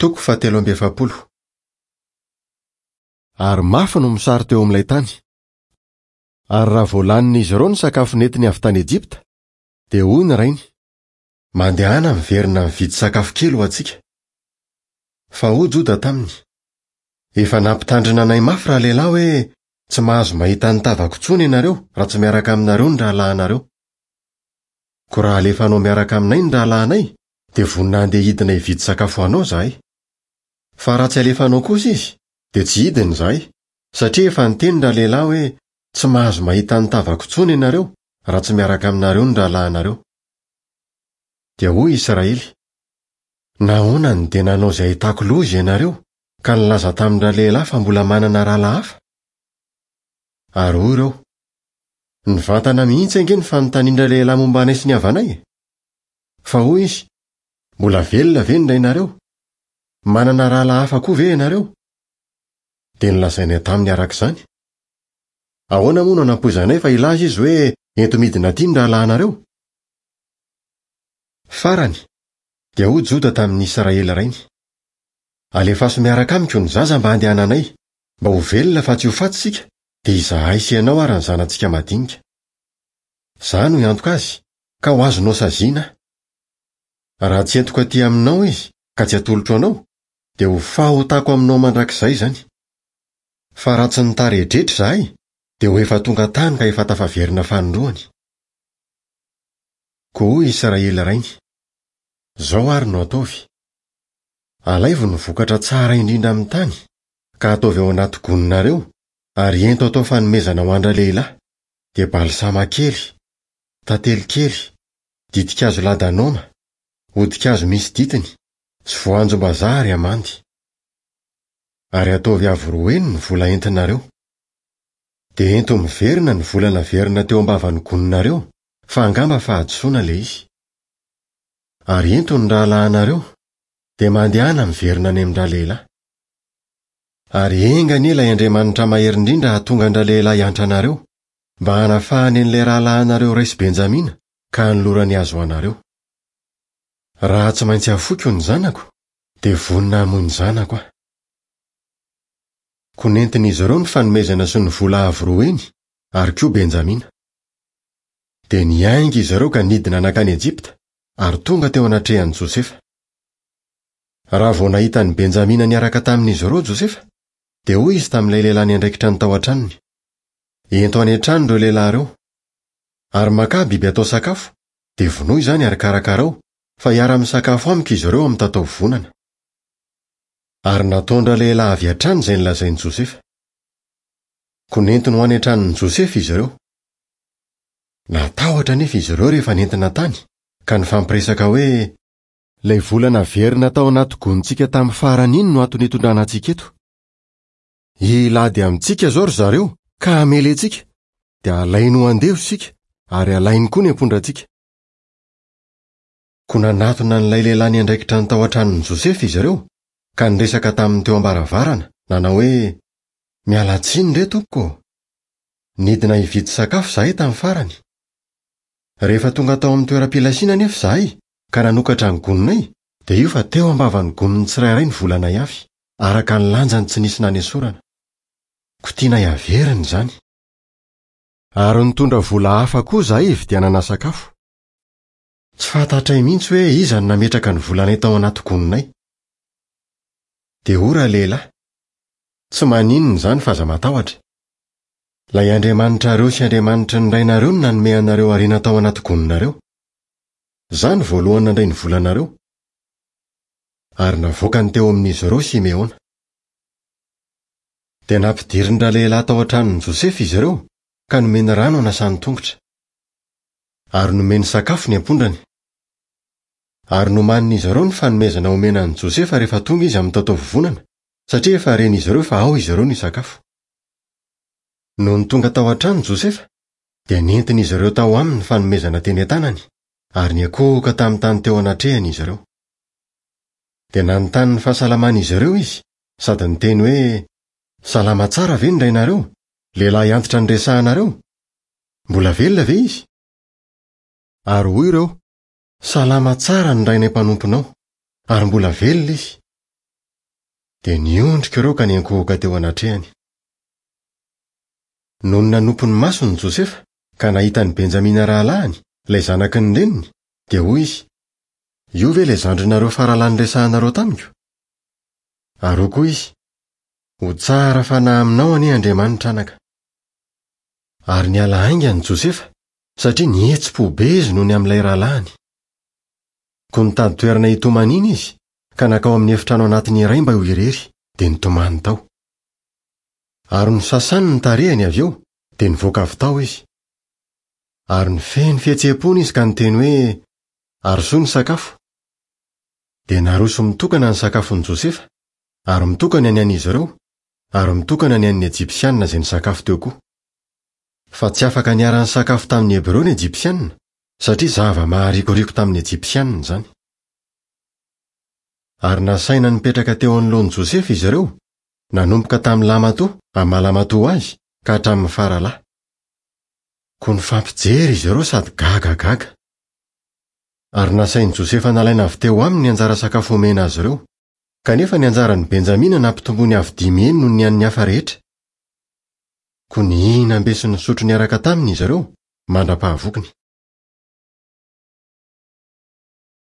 Toko fahatelo amby efapolo. Ary mafy ny mosary teo amin'ilay tany. Ary raha vao lanin'izy ireo ny sakafo nentiny avy tany Ejipta, dia hoy ny rainy, Mandehana miverina mividy sakafo kely ho antsika. Fa hoy Joda taminy, Efa nampitandrina anay mafy ralehilahy hoe, 'Tsy mahazo mahita ny tavako intsony ianareo raha tsy miaraka aminareo ny rahalahinareo. Koa raha alefanao miaraka aminay ny rahalahinay, dia vonona handeha hidina hividy sakafo ho anao izahay. Fa raha tsy alefanao kosa izy, dia tsy hidina izahay, satria efa niteny ralehilahy hoe, 'Tsy mahazo mahita ny tavako intsony ianareo raha tsy miaraka aminareo ny rahalahinareo. Dia hoy Israely, Nahoana no dia nanao izay ahitako loza ianareo, ka nilaza tamin-dralehilahy fa mbola manana rahalahy hafa? Ary hoy ireo, Nivantana mihitsy ange ny fanontanian-dralehilahy momba anay sy ny havanay e! Fa hoy izy, Mbola velona ve ny rainareo? Manana rahalahy hafa koa ve ianareo? Dia nolazainay taminy araka izany. Ahoana moa no hanampoizanay fa hilaza izy hoe, 'Ento midina aty ny rahalahinareo'? Farany, dia hoy Joda tamin'i Israely rainy, Alefaso miaraka amiko ny zaza mba handehananay, mba ho velona fa tsy ho faty isika, dia izahay sy ianao ary ny zanatsika madinika. Izaho no hiantoka azy, ka ho azonao saziana aho. Raha tsy entiko aty aminao izy, ka tsy atolotro anao, dia ho fahotako aminao mandrakizay izany. Fa raha tsy nitaredretra izahay, dia ho efa tonga tany ka efa tafaverina fanindroany. Koa hoy Israely rainy, Izao ary no ataovy, Alaivo ny vokatra tsara indrindra amin'ny tany, ka ataovy ao anaty goninareo, ary ento atao fanomezana ho an-dralehilahy, dia balsama kely, tantely kely, ditin-kazo ladanoma, hodi-kazo misy ditiny, sy voanjom-bazaha ary amandy. Ary ataovy avo roa heny ny vola entinareo. Dia ento miverina ny vola naverina teo am-bavan'ny goninareo, fa angamba fahadisoana ilay izy. Ary ento ny rahalahinareo, dia mandehana miverina any amin-dralehilahy. Ary enga anie ilay Andriamanitra Mahery Indrindra hahatonga an-dralehilahy hiantra anareo, mba hanafahany an'ilay rahalahinareo iray sy Benjamina, ka hanolorany azy ho anareo. Raha tsy maintsy hafoiko ny zanako, dia vonona hamoy ny zanako aho. Koa nentin'izy ireo ny fanomezana sy ny vola avo roa heny, ary koa Benjamina. Dia niainga izy ireo ka nidina nankany Ejipta, ary tonga teo anatrehan'i Josefa. Raha vao nahita an'i Benjamina niaraka tamin'izy ireo Josefa, dia hoy izy tamin'ilay lehilahy niandraikitra ny tao an-tranony, Ento any an-trano ireo lehilahy ireo, ary makà biby atao sakafo, dia vonoy izany ary karakarao, fa hiara-misakafo amiko izy ireo amin'ny tataovonana. Ary nataon-dralehilahy avy hatrany izay nolazain'i Josefa. Koa nentiny ho any an-tranon'i Josefa izy ireo. Natahotra anefa izy ireo rehefa nentina tany, ka nifampiresaka hoe, Ilay vola naverina tao anaty gonintsika tamin'ny farany iny no antony itondrana antsika eto. Hilady amintsika izao ry zareo ka hamely antsika, dia halainy ho andevo isika ary halainy koa ny ampondrantsika. Koa nanatona an'ilay lehilahy niandraikitra ny tao an-tranon'i Josefa izy ireo, ka niresaka taminy teo am-baravarana, nanao hoe, Miala tsiny re, tompoko ô! Nidina hividy sakafo izahay tamin'ny farany. Rehefa tonga tao amin'ny toeram-pilasiana anefa izahay, ka nanokatra ny goninay, dia io fa teo am-bavan'ny gonin'ny tsirairay ny volanay avy, araka ny lanjany tsy nisy nanesorana. Koa tianay haverina izany. Ary nitondra vola hafa koa izahay hividianana sakafo. Tsy fantatray mihitsy hoe iza no nametraka ny volanay tao anaty goninay. Dia hoy ralehilahy, Tsy maninona izany fa aza matahotra. Ilay Andriamanitrareo sy Andriamanitry ny rainareo no nanome anareo harena tao anaty goninareo. Izaho no voalohany nandray ny volanareo. Ary navoakany teo amin'izy ireo Simeona. Dia nampidirin-dralehilahy tao an-tranon'i Josefa izy ireo ka nomeny rano hanasany tongotra. Ary nomeny sakafo ny ampondrany. Ary nomanin'izy ireo ny fanomezana homena an'i Josefa rehefa tonga izy amin'ny taotaovovonana, satria efa ren'izy ireo fa ao izy ireo no hisakafo. Nony tonga tao an-trano Josefa, dia nentin'izy ireo tao aminy ny fanomezana teny an-tanany, ary niankohoka tamin'ny tany teo anatrehany izy ireo. Dia nanontany ny fahasalaman'izy ireo izy, sady niteny hoe, Salama tsara ve ny rainareo, lehilahy antitra niresahanareo? Mbola velona ve izy? Ary hoy ireo, Salama tsara ny rainay mpanomponao, ary mbola velona izy. Dia niondrika ireo ka niankohoka teo anatrehany. Nony nanopy ny masony Josefa ka nahita an'i Benjamina rahalahiny, ilay zanaky ny reniny, dia hoy izy, Io ve ilay zandrinareo faralahy niresahanareo tamiko? Ary hoy koa izy, Ho tsara fanahy aminao anie Andriamanitra anaka. Ary niala haingana Josefa, satria nihetsi-po be izy noho ny amin'ilay rahalahiny. Koa nitady toerana hitomaniana izy, ka nankao amin'ny efitrano anatiny iray mba ho irery, dia nitomany tao. Ary nosasany ny tarehiny avy eo, dia nivoaka avy tao izy. Ary nifehy ny fihetseham-pony izy ka niteny hoe, Arosoy ny sakafo. Dia naroso mitokana ny sakafon'i Josefa, ary mitokana ny an'izy ireo, ary mitokana ny an'ny Ejipsianina izay nisakafo teo koa. Fa tsy afaka niara-nisakafo tamin'ny Hebreo ny Ejipsianina, satria zava-maharikoriko tamin'ny Ejipsianina izany. Ary nasaina nipetraka teo anoloan'i Josefa izy ireo, nanomboka tamin'ny lahimatoa amin'ny maha lahimatoa azy ka hatramin'ny faralahy. Koa nifampijery izy ireo sady gagagaga. Ary nasain'i Josefa nalaina avy teo aminy ny anjara sakafo omena azy ireo, kanefa ny anjaran'i Benjamina nampitomboiny avo dimy heny noho ny an'ny hafa rehetra. Koa nihinam-be sy nisotro niaraka taminy izy ireo, mandra-pahavokiny.